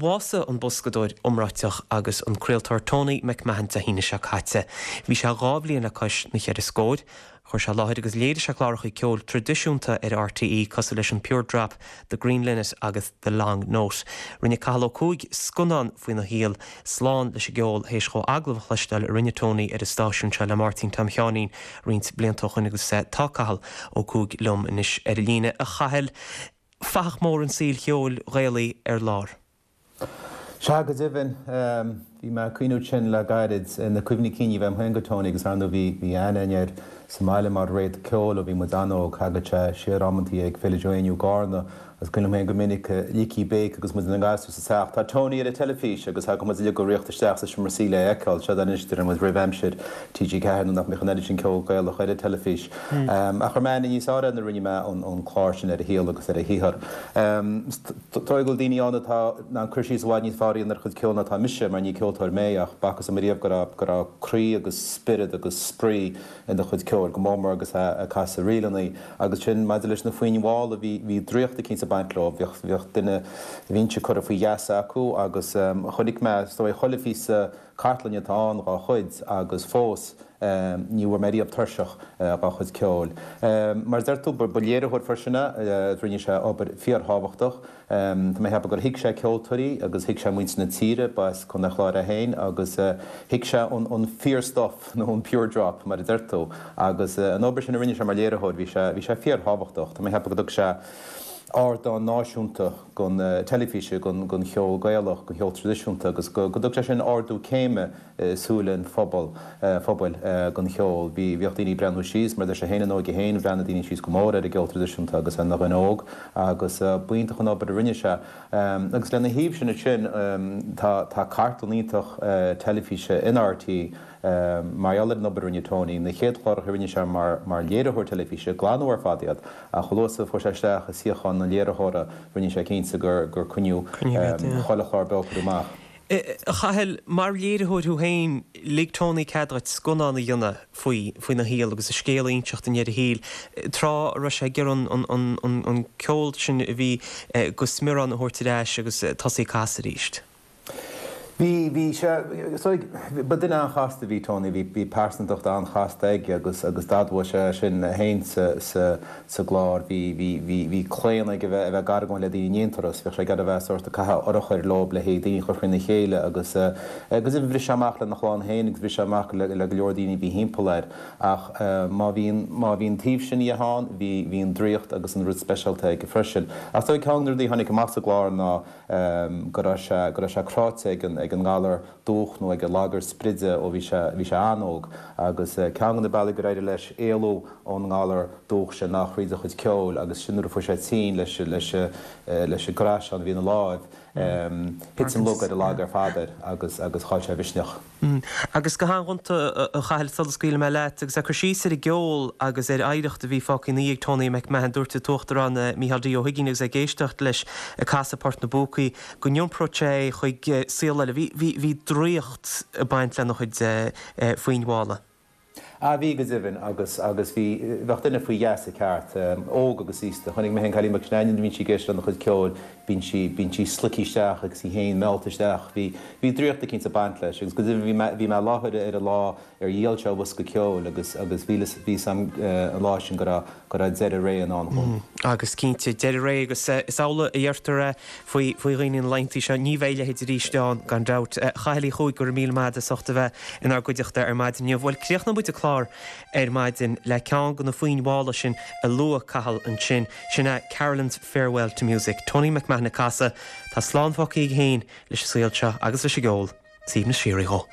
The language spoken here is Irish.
bhásaigh an boscadóir iomráiteach agus an craoltóir Tony McMahon Dé hAoine seo caite. Bhí sé 2 bhliain le cois na cheithre scóir. Chuir sé i láthair agus léirigh sé cláracha ceoil traidisiúnta ar RTÉ cosúil leis an Pure Drop, The Green Linnet agus The Long Note. Rinne Cathal Ó Cuaig scannán faoina shaol, Slán leis an gCeol, théis dhó agallamh a chloisteáil a rinne Tony ar an stáisiún seo le Máirtín Tom Sheáinín roinnt blianta ó shoin agus tá Cathal Ó Cuaig liom anois ar an líne. A Chathail, fathach mór an tsaoil cheoil Ghaelaigh ar lár. Sea, go deimhin. Bhí mé ag cuimhniú ansin le gairid ar na cuimhní cinn a bhí agam féin de Tony agus ar ndóigh bhí bhí aithne againn air sa mbaile mar réad ceoil ó bhí muid an-óg. Thagadh sé siar amantaí ag Féile Joe Éinniú i gCarna agus cuimhin liom féin go minic ligtí béic agus muid ina ngasúir sa teach, 'Tá Tony ar an teilifís! agus thagadh muid uilig ag ritheacht isteach sa seomra suí le é a fheiceáil. Seo anois deireann muid roimh aimsir TG4 nuair nach mbeadh an oiread sin ceol Gaelach ar an teilifís. Ach chuir mé aithne níos fearr air nuair a rinne mé an clár sin ar a shaol agus ar a shaothar. Is dóigh go bhfuil daoine ann atá in ann cur síos i bhfad níos fearr a dhéanamh ar a chuid ceoil ná atá mise, mar ní ceoltóir mé, ach b'fhacthas dom ariamh go raibh, go raibh croí agus spiorad agus spraoi ina chuid ceoil, go mór mór agus é ag casadh ríleanna. Agus sin maidir leis na foinn mhalla, bhí, bhí draíocht eicínt ag baint leo, bhíodh, bhíodh duine bhínnse curtha faoi gheasa acu agus chonaic mé, is dóigh, chuile phíosa cartlainne atá ann dhá chuid agus fós ní bhfuair mé riamh tuirseach dhá chuid ceoil. Mar a deir tú, ba léiritheoir freisin é, rinne sé obair fíorthábhachtach. Tá mé ag ceapadh gur thuig sé ceoltóirí agus thuig sé muintir na tíre, ba as Contae an Chláir é féin, agus thuig sé an fíor stuff nó an pure drop mar a deir tú. Agus an obair sin a rinne sé mar léiritheoir, bhí sé, bhí sé fíorthábhachtach. Tá mé ag ceapadh go dtug sé ardán náisiúnta don teilifíse, don cheol Gaelach, don cheol traidisiúnta agus go dtug sé sin ardú céime i súile an phobail don cheol. Bhí, bhíodh daoine ag breathnú síos, mar deir sé féin ina óige féin, bhreathnaigh daoine síos go mór ar an gceol traidisiúnta agus é ina dhuine óg agus b'iontach an obair a rinne sé. Agus lena thaobh sin ansin tá, tá cartlann iontach teilifíse in RTÉ mar gheall ar an obair a rinne Tony. Na chéad chláracha a rinne sé mar, mar léiritheoir teilifíse, glanadh ar fad iad ach chomh luath is a fuair sé isteach i suíochán an léiritheora rinne sé cinnte gur, gur coinníodh chuile chlár beo curtha amach. A Chathail, mar léiritheoir thú féin, lig Tony cead duit scannán a dhéanamh faoi, faoina shaol agus a scéal a inseacht i ndeireadh a shaoil, tráth a raibh sé ag iarraidh an, an, an, an ceol sin a bhí go smior ann a thabhairt ar ais agus tosaí ag casadh arís. Bhí, bhí sé, so, ba duine an-chasta a bhí Tony, bhí, bhí pearsantacht an-chasta aige agus, agus d'admhaigh sé sin é féin sa, sa, sa gclár. Bhí, bhí, bhí, bhí claonadh aige a bheith, a bheith ag argóint le daoine in aon turas, bhíodh sé ag iarraidh a bheith sórt ag caitheamh urchair leo le haghaidh daoine a chur faoina chéile agus, agus bhris sé amach lena chlann féin agus bhris sé amach le, le go leor daoine a bhí thimpeall air. Ach má bhí an, má bhí an taobh sin dhe ann, bhí, bhí an draíocht agus an rud speisialta aige freisin. Ach is dóigh ceann de na rudaí a tháinig amach sa gclár ná, go raibh sé, go raibh sé cráite ag an, ag an ngalar dúch nó ag an lagar spride ó bhí sé, bhí sé an-óg agus ceann de na bealaí gur éirigh leis éalú ón ngalar dúch sin ná thríd a chuid ceoil agus sin nuair a fuair sé tinn leis, leis, leis an gcraiseán a bhí ina láimh, thit an lug ar an lag ar fad air agus, agus chaill sé a mhisneach. Agus go han-ghonta, a Chathail, sula scaoilfidh mé leat, agus ag cur síos ar an gceol agus ar oidhreacht a bhí fágtha ina dhiaidh ag Tony McMahon, dúirt an tUachtarán Micheál D. Ó hUiginn agus é ag éisteacht leis ag casadh Port na bPúcaí, go n-iompródh sé é chuig saol eile. Bhí, bhí, bhí draíocht ag baint lena chuid foinn mhalla. Ah bhí go deimhin agus, agus bhí, bheadh duine faoi gheasa ceart, óg agus aosta. Chonaic mé féin cailín beag sin nuair a bhíonn sí ag éisteacht lena chuid ceoil, bíonn sí, bíonn sí slogtha isteach agus í féin meallta isteach. Bhí, bhí draíocht eicínt ag baint leis agus go deimhin bhí mé, bhí mé i láthair ar an lá ar dhíol sé a bhosca ceoil agus, agus bhí, bhí 'fhios a'm an lá sin go raibh, go raibh deireadh ré i ndán dhó. Agus cinnte, deireadh ré agus is amhlaidh a deirtear é faoi faoi dhaoine na laethanta seo, ní bheidh a leithéid arís ann gan dabht. A Chathail Uí Chuaig, go raibh míle maith agat as ucht a bheith inár gcuideachta ar maidin inniu. Bhuel, críochnóidh muid an clár ar maidin le ceann de na foinn mhalla sin a luaigh Cathal ansin, sin é Carolan's Farewell to Music, Tony McMahon ag casadh. Tá slán fágtha aige féin leis an saol seo agus leis an gceol. Suaimhneas síoraí dhó.